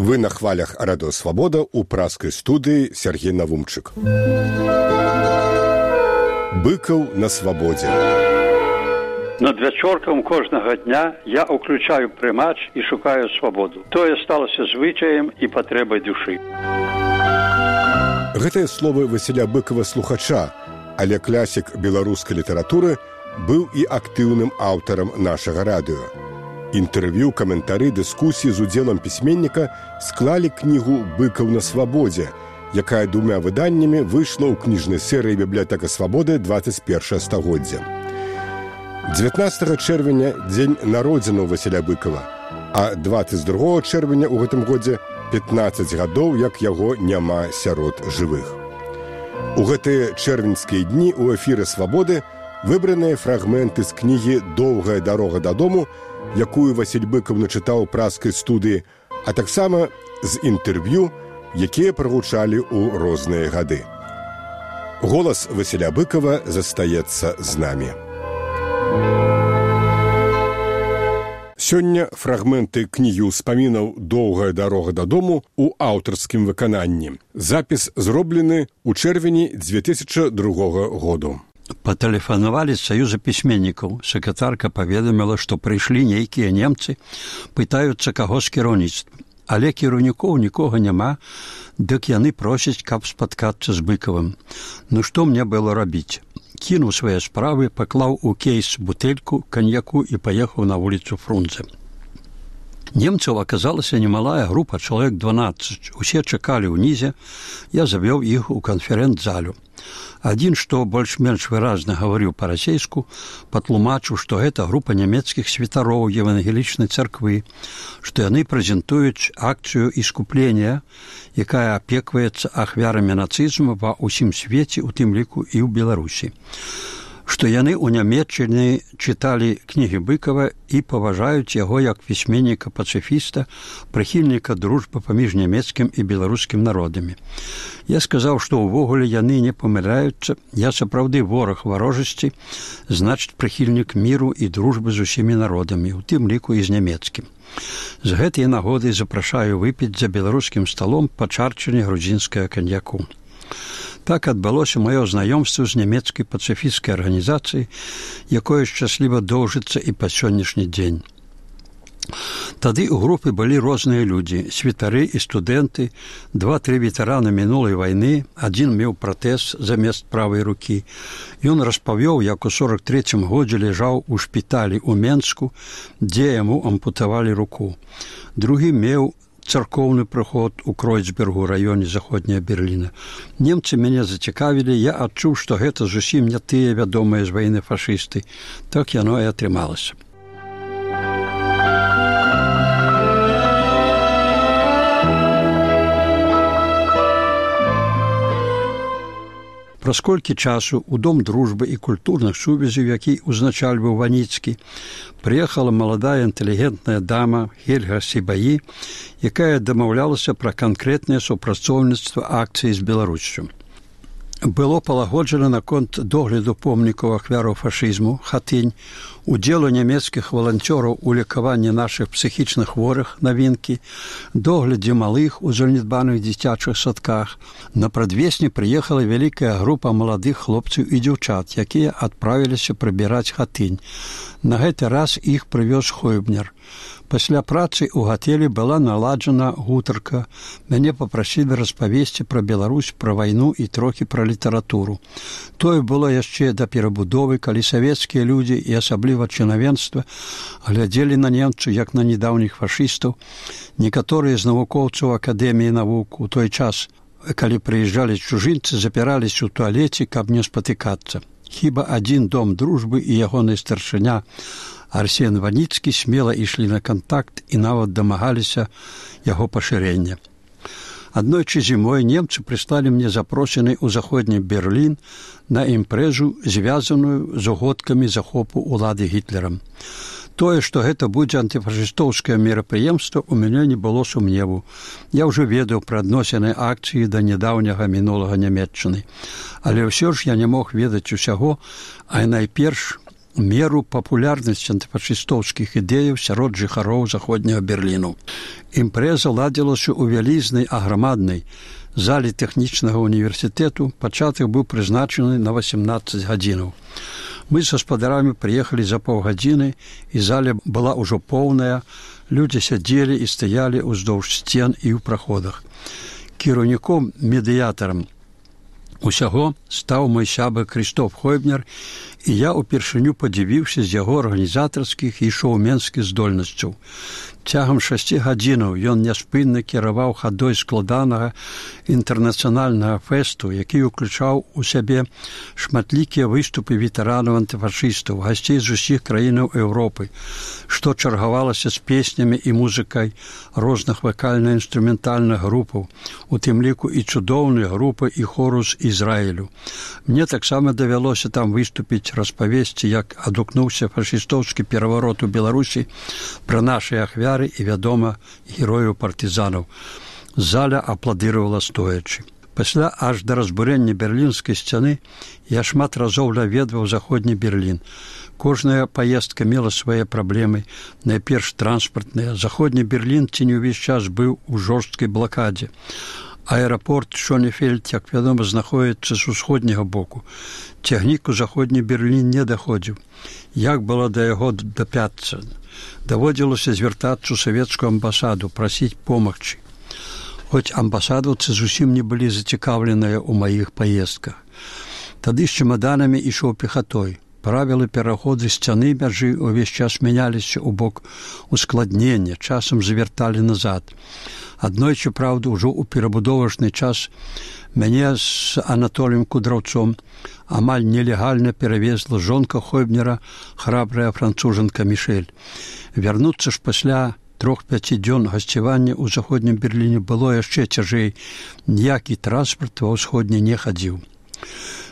Вы на хвалях Радио Свобода у праскай студыі Сергей Навумчык. Быкаў на свабодзе. Над вячоркам кожнага дня я ўключаю прымач і шукаю свабоду. Тое сталася звычаем і патрэбай душы. Гэтыя словы Васіля Быкава слухача, але класік беларускай літаратуры быў і актыўным аўтарам нашага радыё. Інтэрв'ю, каментары, дыскусіі з удзелам пісьменніка склалі кнігу «Быкаў на свабодзе», якая 2 выданнямі выйшла ў кніжнай серыі «Бібліятэка свабоды» 21 стагоддзя. 19 чэрвеня – дзень народзінаў Васіля Быкава, а 22 чэрвеня ў гэтым годзе 15 гадоў, як яго няма сярод жывых. У гэтыя чэрвеньскія дні ў эфіры «Свабоды» выбраныя фрагменты з кнігі «Доўгая дарога дадому», якую Васіль Быкаў начытаў у праскай студыі, а таксама з інтэрв'ю, якія прагучалі ў розныя гады. Голас Васіля Быкава застаецца з намі. Сёння фрагменты кнігі ўспамінаў «Доўгая дарога дадому» у аўтарскім выкананні. Запіс зроблены ў чэрвені 2002 году. Патэлефанавалі з Саюза пісьменнікаў. Сакратарка паведаміла, што прыйшлі нейкія немцы, пытаюцца каго з кіраўніцтва. Але кіраўнікоў нікога няма, дык яны просяць, каб спаткацца з Быкавым. Ну што мне было рабіць? Кінуў свае справы, паклаў у кейс бутэльку каньяку і паехаў на вуліцу Фрунзе. Немцаў аказалася немалая група, чалавек 12. Усе чакалі ўнізе, я завёў іх у канферэнц-залю. Адзін, што больш-менш выразна гаварыў па-расейску, патлумачыў, што гэта група нямецкіх святароў евангелічнай царквы, што яны прэзентуюць акцыю іскуплення, якая апекваецца ахвярамі нацызму ва ўсім свеце, у тым ліку і ў Беларусі. Што яны ў Нямецчыне чыталі кнігі Быкава і паважаюць яго як пісьменніка-пацыфіста, прыхільніка дружбы паміж нямецкім і беларускім народамі. Я сказаў, што ўвогуле яны не памыляюцца, я сапраўды вораг варожасці, значыць прыхільнік міру і дружбы з усімі народамі, у тым ліку і з нямецкім. З гэтай нагоды запрашаю выпіць за беларускім сталом па чарчыне грузінскага каньяку. Так адбылося маё знаёмства з нямецкай пацыфісцкай арганізацыяй, якое шчасліва доўжыцца і па сённяшні дзень. Тады ў групе былі розныя людзі, святары і студэнты, 2-3 ветэраны мінулай вайны, адзін меў пратэз замест правай рукі. Ён распавёў, як у 43-м годзе ляжаў у шпіталі ў Менску, дзе яму ампутавалі руку. Другі меў царкоўны прыход у Кройцбергу, раёне заходняя Берліна. Немцы мяне зацікавілі, я адчуў, што гэта зусім не тыя вядомыя з вайны фашысты. Так яно і атрымалася. Праз колькі часу ў Дом дружбы і культурных сувязяў, які узначальваў Ваніцкі, прыехала маладая інтэлігентная дама Хельга Сібаі, якая дамаўлялася пра канкрэтнае супрацоўніцтва акцыі з Беларуссю. Было палагоджана наконт догляду помнікаў ахвяраў фашызму, хатынь, удзелу нямецкіх валанцёраў у лекаванні нашых псіхічных хворых, навінкі, доглядзе малых у занядбаных дзіцячых садках. На прадвесні прыехала вялікая група маладых хлопцаў і дзяўчат, якія адправіліся прыбіраць хатынь. На гэты раз іх прывёз Хойбнер. Пасля працы ў гатэлі была наладжана гутарка. Мяне папрасілі распавесці пра Беларусь, пра вайну і трохі пра літаратуру. Тое было яшчэ да перабудовы, калі савецкія людзі і асабліва чынавенства глядзелі на немцаў як на недаўніх фашыстаў. Некаторыя з навукоўцаў Акадэміі навук у той час, калі прыязджалі чужынцы, запіраліся ў туалеце, каб не спатыкацца. Хіба адзін Дом дружбы і ягоны старшыня Арсен Ваніцкі смела ішлі на кантакт і нават дамагаліся яго пашырення. Аднойчы зімой немцы прыслалі мне запрошаны ў заходні Берлін на імпрэзу, звязаную з угодкамі захопу улады Гітлерам. Тое, што гэта будзе антыфашыстоўскае мерапрыемства, у мяне не было сумневу. Я ўжо ведаў пра адносіны акцыі да нядаўняга мінулага Нямецчыны. Але ўсё ж я не мог ведаць усяго, а найперш меру папулярнасці антыфашыстоўскіх ідэяў сярод жыхароў заходняга Берліну. Імпрэза ладзілася ў вялізнай аграмаднай зале тэхнічнага універсітэту, пачатак быў прызначаны на 18 гадзінаў. Мы з гаспадарамі прыехалі за паўгадзіны, і зала была ўжо поўная, людзі сядзелі і стаялі ўздоўж сцен і ў праходах. Кіраўніком, медыятарам усяго стаў мой сябар Крыштоф Хойбнер, і я ўпершыню падзівіўся з яго арганізатарскіх і шоуменскіх здольнасцяў. Цягам 6 гадзінаў ён няспынна кіраваў хадой складанага інтэрнацыянальнага фэсту, які ўключаў у сябе шматлікія выступы ветэранаў антыфашыстаў, гасцей з усіх краінаў Еўропы, што чаргавалася з песнямі і музыкай розных вакальна-інструментальных групаў, у тым ліку і цудоўныя групы і хору з Ізраілю. Мне таксама давялося там выступіць, распавесці, як адгукнуўся фашыстоўскі пераварот у Беларусі, пра нашы ахвяры і, вядома, герояў партызанаў. Зала апладыравала стоячы. Пасля аж да разбурэння берлінскай сцяны я шмат разоў наведваў заходні Берлін. Кожная паездка мела свае праблемы, найперш транспартныя. Заходні Берлін ці не ўвесь час быў у жорсткай блакадзе. Аэрапорт Шонефельд, як вядома, знаходзіцца з усходняга боку. Цягнік у заходні Берлін не даходзіў. Як было да яго дапяцца? Даводзілася звяртацца ў савецкую амбасаду, прасіць помагчы. Хоць амбасадаўцы зусім не былі зацікаўленыя ў маіх паездках. Тады з чемаданамі ішоў пехатой. Правілы пераходу сцяны мяжы ўвесь час мяняліся ў бок ускладнення, часам завярталі назад. Аднойчы, праўда, ужо ў перабудовачны час мяне з Анатоліем Кудраўцом амаль нелегальна перавезла жонка Хойбнера, храбрая францужанка Мішэль. Вярнуцца ж пасля 3-5 дзён гасцявання ў заходнім Берліне было яшчэ цяжэй. Ніякі транспарт ва ўсходні не хадзіў.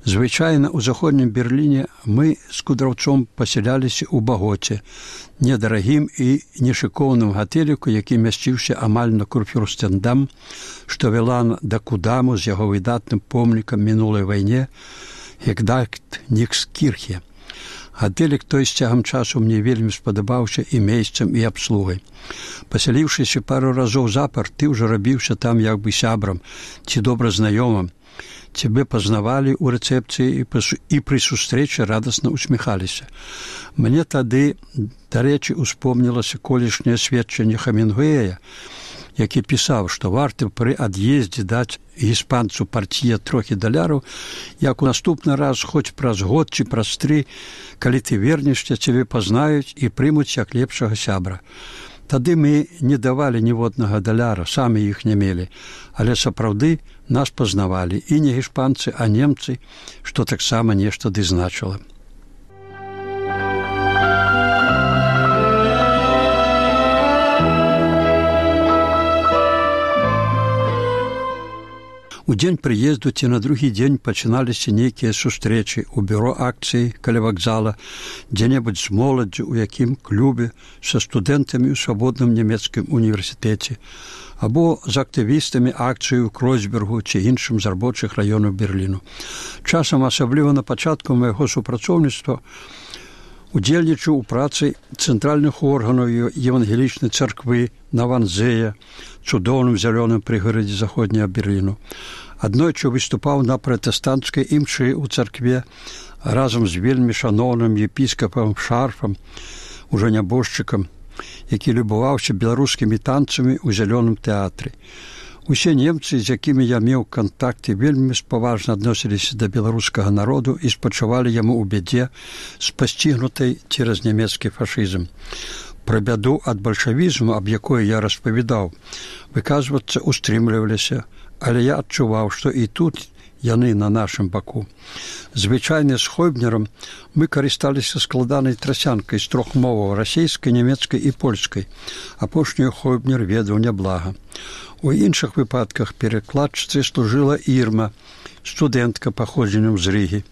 Звычайна ў заходнім Берліне мы з Кудраўцом пасяляліся ў Багоце, недарагім і нешыкоўным гатэліку, які мясціўся амаль на Курфюрстендам, што вела да Кудаму з яго выдатным помнікам мінулай вайне Гегдальт Нікскірхе. Гатэлік той з цягам часу мне вельмі спадабаўся і месцам, і абслугай. Пасяліўшыся пару разоў запар, ты ўжо рабіўся там як бы сябрам ці добра знаёмым. Цябе пазнавалі ў рэцэпцыі і пры сустрэчы радасна усміхаліся. Мне тады, дарэчы, успомнілася колішняе сведчанне Хемінгуэя, які пісаў, што варта пры ад'ездзе даць іспанцу партія трохі даляраў, як у наступны раз, хоць праз год ці праз 3, калі ты вернешся, цябе пазнаюць і прымуць як лепшага сябра. Тады мы не давалі ніводнага даляра, самі іх не мелі, але сапраўды нас пазнавалі і не іспанцы, а немцы, што таксама нешта ды значыла. У дзень прыезду ці на другі дзень пачыналіся нейкія сустрэчы ў бюро акцыі каля вакзала, дзе-небудзь з моладдзю, у якім клубе, са студэнтамі ў свабодным нямецкім універсітэце, або з актывістамі акцыі ў Кройцбергу ці іншым з рабочых раёнаў Берліну. Часам, асабліва на пачатку майго супрацоўніцтва, удзельнічаў у працы цэнтральных органаў евангелічнай царквы на Ванзея, цудоўным зялёным прыгарадзе заходняга Берліну. Аднойчы выступаў на пратэстанцкай імшы ў царкве разам з вельмі шаноўным епіскапам Шарфам, ужо нябожчыкам, які любаваўся беларускімі танцамі ў зялёным тэатры. Усе немцы, з якімі я меў кантакты, вельмі спаважна адносіліся да беларускага народу і спачувалі яму ў бядзе, спасцігнутай цераз нямецкі фашызм. Пра бяду ад бальшавізму, аб якой я распавядаў, выказвацца устрымліваліся, але я адчуваў, што і тут яны на нашым баку. Звычайна з Хойбнерам мы карысталіся складанай трасянкай з 3 моваў: расейскай, нямецкай і польскай. Апошнюю Хойбнер ведаў няблага. У іншых выпадках перакладчыцай служыла Ірма, студэнтка паходзеннем з Рыгі.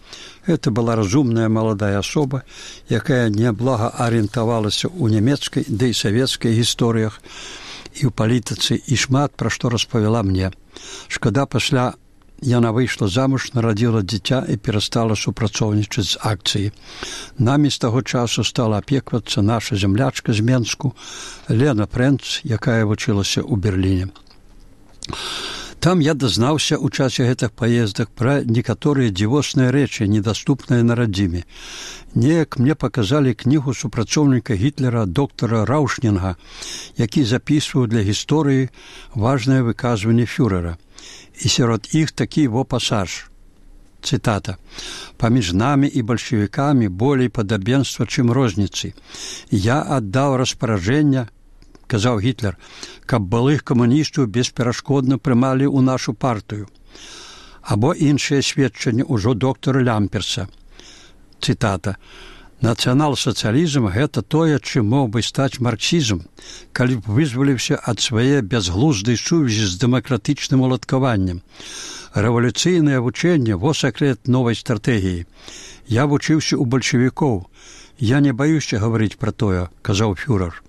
Гэта была разумная маладая асоба, якая няблага арыентавалася ў нямецкай, ды і савецкай гісторыях і ў палітыцы, і шмат пра што распавяла мне. Шкада, пасля яна выйшла замуж, нарадзіла дзіця і перастала супрацоўнічаць з акцыяй. Намі з таго часу стала апеквацца наша зямлячка з Менску Лена Прэнц, якая вучылася ў Берліне. Там я дазнаўся ў часе гэтых паездак пра некаторыя дзівосныя рэчы, недаступныя на радзіме. Неяк мне паказалі кнігу супрацоўніка Гітлера доктара Раушнінга, які запісваў для гісторыі важнае выказванне фюрэра. І сярод іх такі пасаж. Цытата. «Паміж намі і бальшавікамі болей падабенства, чым розніцы. Я аддаў распараджэння, казаў Гітлер, каб былых камуністаў бесперашкодна прымалі ў нашу партыю». Або іншыя сведчанні ўжо доктара Лямперса. Цытата. «Нацыянал-сацыялізм – гэта тое, чым мог бы стаць марксізм, калі б вызваліўся ад свае бязглуздай сувязі з дэмакратычным уладкаваннем. Рэвалюцыйнае вучэнне – во сакрэт новай стратэгіі. Я вучыўся ў бальшавікоў. Я не баюся гаварыць пра тое», – казаў фюрэр.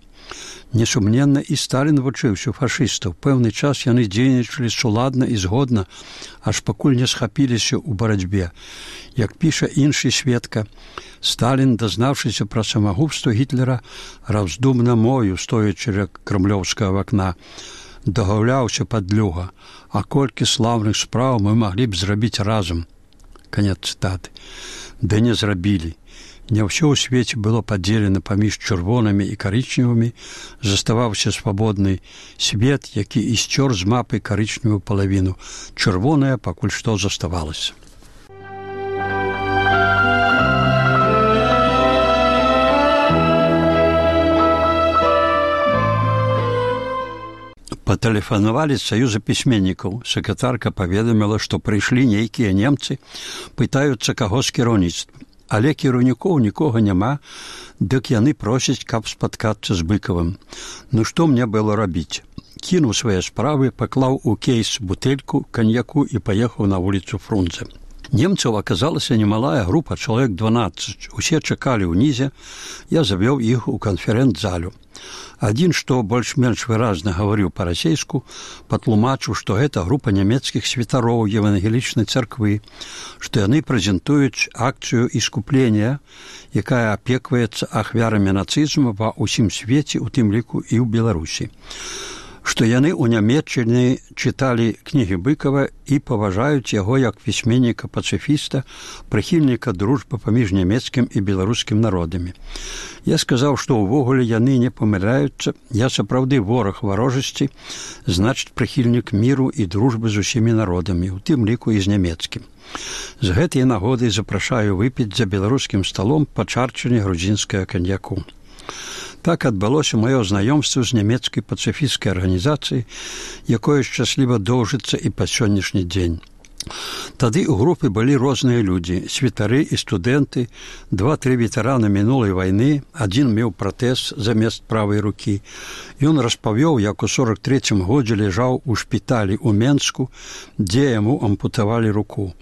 Несумненна, і Сталін вучыўся фашыстаў. Пэўны час яны дзейнічалі суладна і згодна, аж пакуль не схапіліся ў барацьбе. Як піша іншы сведка, Сталін, дазнаўшыся пра самагубства Гітлера, раздумна мою, стоячы ля крамлёўскага вакна, дагаўляўся падлюга, а колькі слаўных спраў мы маглі б зрабіць разам. Канец цытаты. Да не зрабілі. Не ўсё ў свеце было падзелена паміж чырвонымі і карычневымі, заставаўся свабодны свет, які і сцёр з мапы карычневую палавіну. Чырвоная пакуль што заставалася. Патэлефанавалі з саюза пісьменнікаў. Сакратарка паведаміла, што прыйшлі нейкія немцы, пытаюцца, каго з кіраўніцтва. Але кіраўнікоў нікога няма, дык яны просяць, каб спаткацца з Быкавым. Ну што мне было рабіць? Кінуў свае справы, паклаў у кейс бутэльку, каньяку і паехаў на вуліцу Фрунзе. Немцаў аказалася немалая група, чалавек 12. Усе чакалі ўнізе, я завёў іх у канферэнц-залю. Адзін, што больш-менш выразна гаварыў па-расейску, патлумачыў, што гэта група нямецкіх святароў евангелічнай царквы, што яны прэзентуюць акцыю іскуплення, якая апекваецца ахвярамі нацызму ва ўсім свеце, у тым ліку і ў Беларусі. Што яны ў Нямецчыне чыталі кнігі Быкава і паважаюць яго як пісьменніка-пацыфіста, прыхільніка дружбы паміж нямецкім і беларускім народамі. Я сказаў, што ўвогуле яны не памыляюцца, я сапраўды вораг варожасці, значыць прыхільнік міру і дружбы з усімі народамі, у тым ліку і з нямецкім. З гэтай нагоды запрашаю выпіць за беларускім сталом па чарчыне грузінскага каньяку. Так адбылося маё знаёмства з нямецкай пацыфісцкай арганізацыяй, якое шчасліва доўжыцца і па сённяшні дзень. Тады ў групе былі розныя людзі, святары і студэнты, 2-3 ветэраны мінулай вайны, адзін меў пратэз замест правай рукі. Ён распавёў, як у 43-м годзе ляжаў у шпіталі ў Менску, дзе яму ампутавалі руку.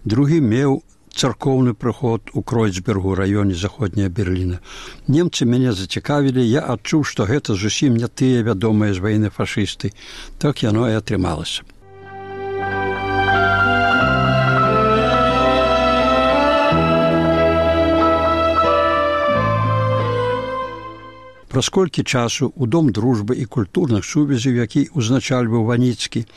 Другі меў царкоўны прыход у Кройцбергу, раёне заходняя Берліна. Немцы мяне зацікавілі, я адчуў, што гэта зусім не тыя вядомыя з вайны фашысты. Так яно і атрымалася. Праз колькі часу ў Дом дружбы і культурных сувязяў, які ўзначальваў Ваніцкі,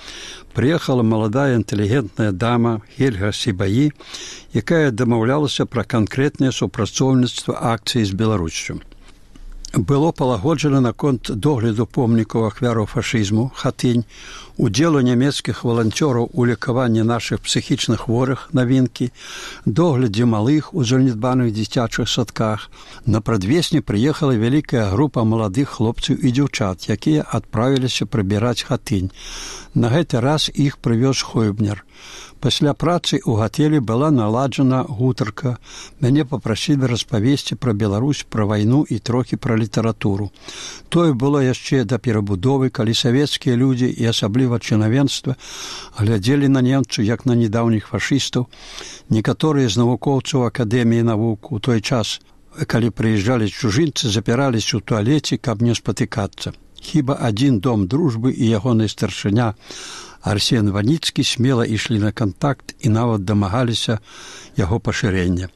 прыехала маладая інтэлігентная дама Хельга Сібаі, якая дамаўлялася пра канкрэтнае супрацоўніцтва акцыі з Беларуссю. Было палагоджана наконт догляду помнікаў ахвяраў фашызму, хатынь, удзелу нямецкіх валанцёраў у лекаванні нашых псіхічных хворых, навінкі, доглядзе малых у занядбаных дзіцячых садках. На прадвесні прыехала вялікая група маладых хлопцаў і дзяўчат, якія адправіліся прыбіраць хатынь. На гэты раз іх прывёз Хойбнер. Пасля працы ў гатэлі была наладжана гутарка. Мяне папрасілі распавесці пра Беларусь, пра вайну і трохі пра літаратуру. Тое было яшчэ да перабудовы, калі савецкія людзі і асабліва чынавенства глядзелі на немцаў як на недаўніх фашыстаў. Некаторыя з навукоўцаў Акадэміі навук у той час, калі прыязджалі чужынцы, запіраліся ў туалеце, каб не спатыкацца. Хіба адзін Дом дружбы і ягоны старшыня Арсен Ваніцкі смела ішлі на кантакт і нават дамагаліся яго пашырення.